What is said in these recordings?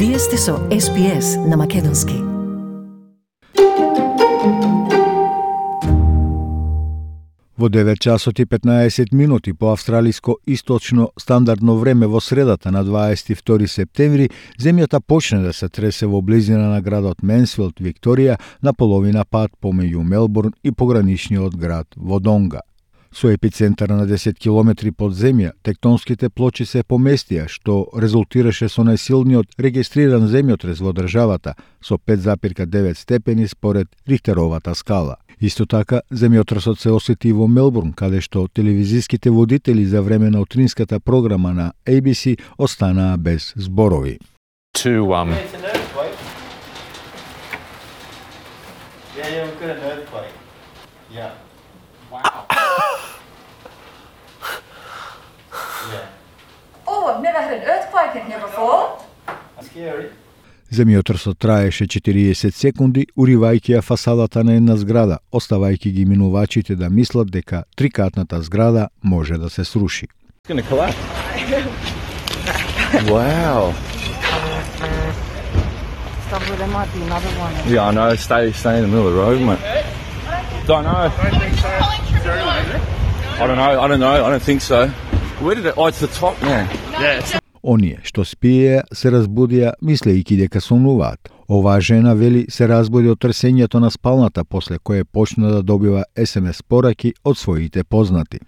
Вие сте со SPS на Македонски. Во 9 часот и 15 минути по австралиско источно стандардно време во средата на 22 септември, земјата почне да се тресе во близина на градот Менсфилд, Викторија, на половина пат помеѓу Мелбурн и пограничниот град Водонга. Со епицентар на 10 километри под земја, тектонските плочи се поместија, што резултираше со најсилниот регистриран земјотрес во државата, со 5,9 степени според Рихтеровата скала. Исто така, земјотресот се осети во Мелбурн, каде што телевизиските водители за време на утринската програма на ABC останаа без зборови. I've never had an earthquake in here before. That's scary. Земјотресот траеше 40 секунди, уривајќи ја фасадата на една зграда, оставајќи ги минувачите да мислат дека трикатната зграда може да се сруши. It's going to collapse. Wow. Stop, there might be another one. Yeah, I know. Stay in the middle of the road, mate. Don't know. I don't know. I don't think so. Where did it? Oh, it's the top now. Yeah. Оние што спиеја се разбудија мислејќи дека сонуваат. Оваа жена вели се разбуди од тресењето на спалната, после кое почна да добива SMS пораки од своите познати.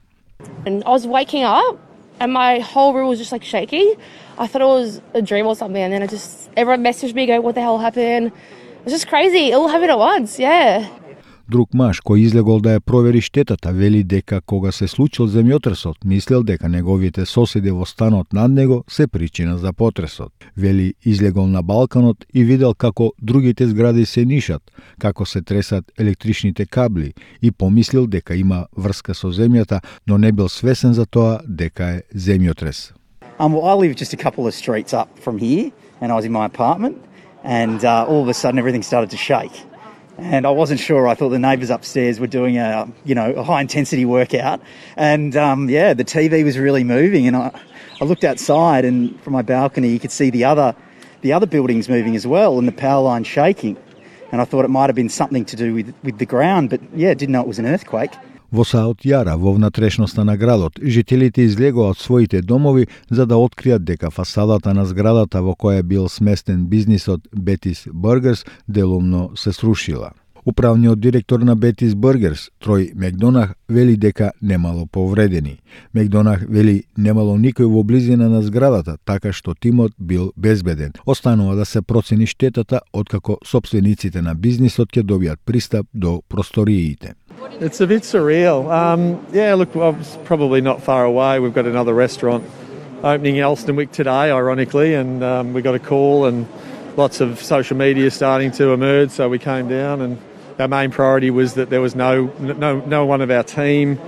And I was waking up and my whole room was just like shaking. I thought it was a dream or something, and then everyone messaged me going, what the hell happened? It was just crazy. It all happened at once, yeah. Друг маж кој излегол да ја провери штетата вели дека кога се случил земјотресот, мислел дека неговите соседи во станот над него се причина за потресот. Вели излегол на балконот и видел како другите згради се нишат, како се тресат електричните кабли и помислил дека има врска со земјата, но не бил свесен за тоа дека е земјотрес. I live just a couple of streets up from here, and I was in my apartment, and all of a sudden everything started to shake. And I wasn't sure. I thought the neighbours upstairs were doing a high intensity workout, and the TV was really moving. And I looked outside, and from my balcony, you could see the other buildings moving as well, and the power line shaking. And I thought it might have been something to do with the ground, but didn't know it was an earthquake. Во Саут Јара, во внатрешноста на градот, жителите излегоа од своите домови за да откријат дека фасадата на зградата во која бил сместен бизнисот Бетис Бургерс делумно се срушила. Управниот директор на Бетис Бургерс, Трој Мекдонах, вели дека немало повредени. Мекдонах вели немало никој во близина на зградата, така што тимот бил безбеден. Останува да се процени штетата откако сопствениците на бизнисот ќе добијат пристап до просториите. It's a bit surreal. Look, I was probably not far away. We've got another restaurant opening in Elsternwick today, ironically, and we got a call and lots of social media starting to emerge, so we came down, and our main priority was that there was no one of our team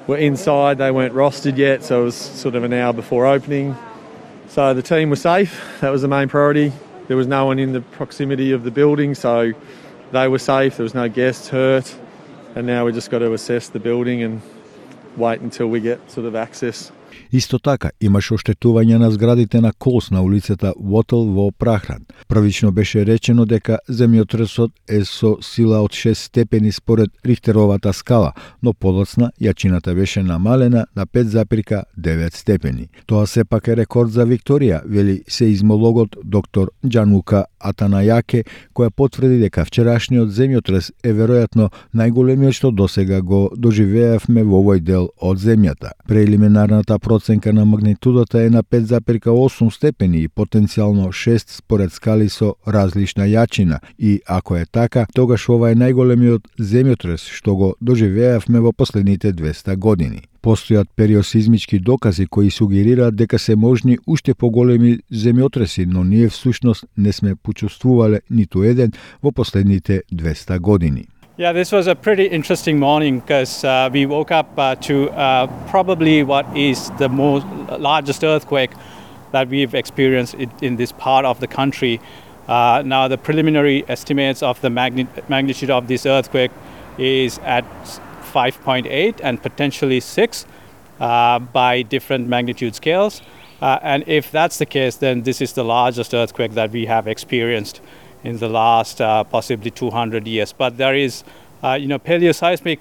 were inside. They weren't rostered yet, so it was sort of an hour before opening. So the team was safe. That was the main priority. There was no one in the proximity of the building, so they were safe. There was no guests hurt. And now we just got to assess the building and wait until we get sort of access. Исто така, имаше оштетување на зградите на Колс на улицата Вотел во Прахран. Првично беше речено дека земјотресот е со сила од 6 степени според Рихтеровата скала, но подоцна јачината беше намалена на 5,9 степени. Тоа сепак е рекорд за Викторија, вели сеизмологот доктор Џанука Атанајаке, која потврди дека вчерашниот земјотрес е веројатно најголемиот што досега го доживеавме во овој дел од земјата. Прелиминарната проценка на магнитудата е на 5,8 степени и потенцијално 6 според скали со различна јачина, и ако е така, тогаш ова е најголемиот земјотрес што го доживеавме во последните 200 години. Постојат периосизмички докази кои сугерираат дека се можни уште поголеми земјотреси, но ние всушност не сме почувствувале ниту еден во последните 200 години. Yeah, this was a pretty interesting morning because we woke up to probably what is the largest earthquake that we've experienced in this part of the country. Now, the preliminary estimates of the magnitude of this earthquake is at 5.8 and potentially 6 by different magnitude scales. And if that's the case, then this is the largest earthquake that we have experienced in the last possibly 200 years. But there is, paleoseismic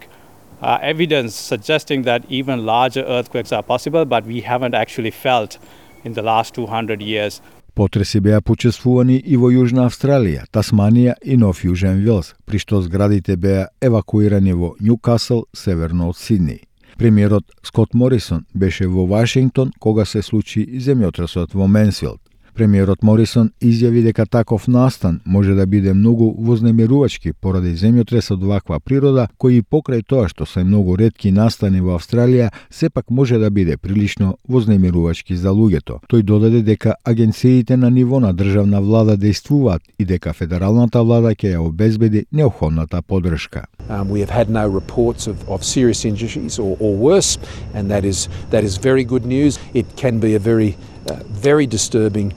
evidence suggesting that even larger earthquakes are possible, but we haven't actually felt in the last 200 years. Потреси беа почествувани и во Јужна Австралија, Тасманија и Нов Јужен Велс, при што зградите беа евакуирани во Њукасл, северно од Сиднеј. Премиерот Скот Морисон беше во Вашингтон кога се случи земјотресот во Менсфилд. Премиерот Морисон изјави дека таков настан може да биде многу вознемирувачки поради земјотрес од ваква природа, кој и покрај тоа што се многу ретки настани во Австралија, сепак може да биде прилично вознемирувачки за луѓето. Тој додаде дека агенциите на ниво на државна влада дејствуваат и дека федералната влада ќе ја обезбеди неопходната поддршка. We have had no reports of serious injuries or worse, and that is very good news. It can be a very disturbing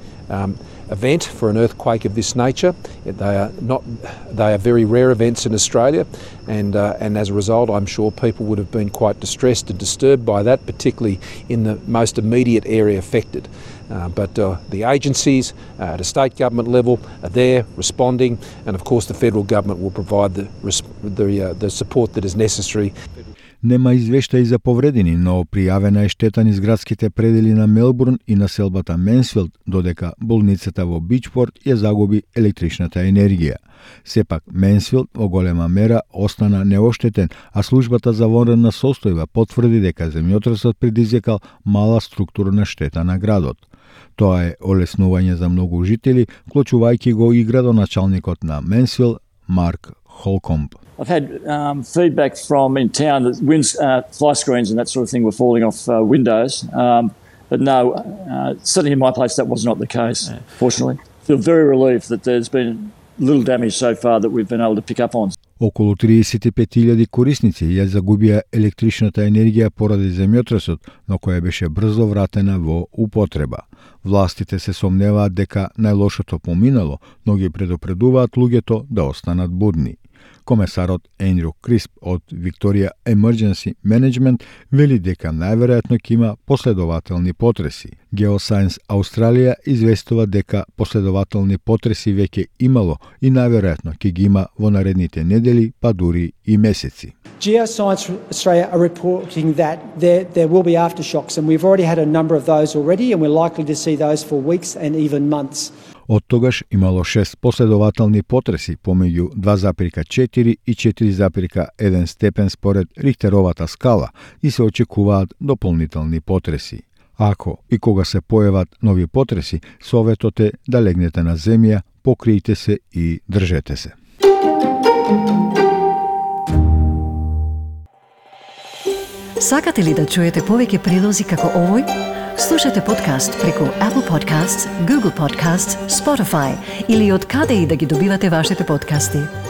event for an earthquake of this nature. They are very rare events in Australia, and as a result, I'm sure people would have been quite distressed and disturbed by that, particularly in the most immediate area affected. But the agencies at a state government level are there responding, and of course the federal government will provide the support that is necessary. Нема извештаи за повредени, но пријавена е штета низ градските предели на Мелбурн и населбата Менсфилд, додека болницата во Бичпорт ја загуби електричната енергија. Сепак, Менсфилд во голема мера остана неоштетен, а службата за вонредна состојба потврди дека земјотресот предизвикал мала структурна штета на градот. Тоа е олеснување за многу жители, вклучувајќи го и градоначалникот на Менсфилд, Марк Холкомб. I've had feedback from in town that fly screens and that sort of thing were falling off windows. But no, certainly in my place that was not the case, fortunately. Feel very relieved that there's been little damage so far that we've been able to pick up on. Околу 35.000 корисници ја загубија електричната енергија поради земјотресот, но која беше брзо вратена во употреба. Властите се сомневаат дека најлошото поминало, но ги предупредуваат луѓето да останат будни. Комесарот Ендрю Крисп од Victoria Emergency Management вели дека најверојатно ќе има последователни потреси. Geoscience Australia известува дека последователни потреси веќе имало и најверојатно ќе ги има во наредните недели, па дури и месеци. Geoscience Australia are reporting that there will be aftershocks, and we've already had a number of those already, and we're likely to see those for weeks and even months. Од тогаш имало 6 последователни потреси помеѓу 2,4 и 4,1 степен според Рихтеровата скала и се очекуваат дополнителни потреси. Ако и кога се појават нови потреси, советот е да легнете на земја, покријте се и држете се. Сакате ли да чуете повеќе прилози како овој? Слушате подкаст преку Apple Podcasts, Google Podcasts, Spotify или од каде и да ги добивате вашите подкасти.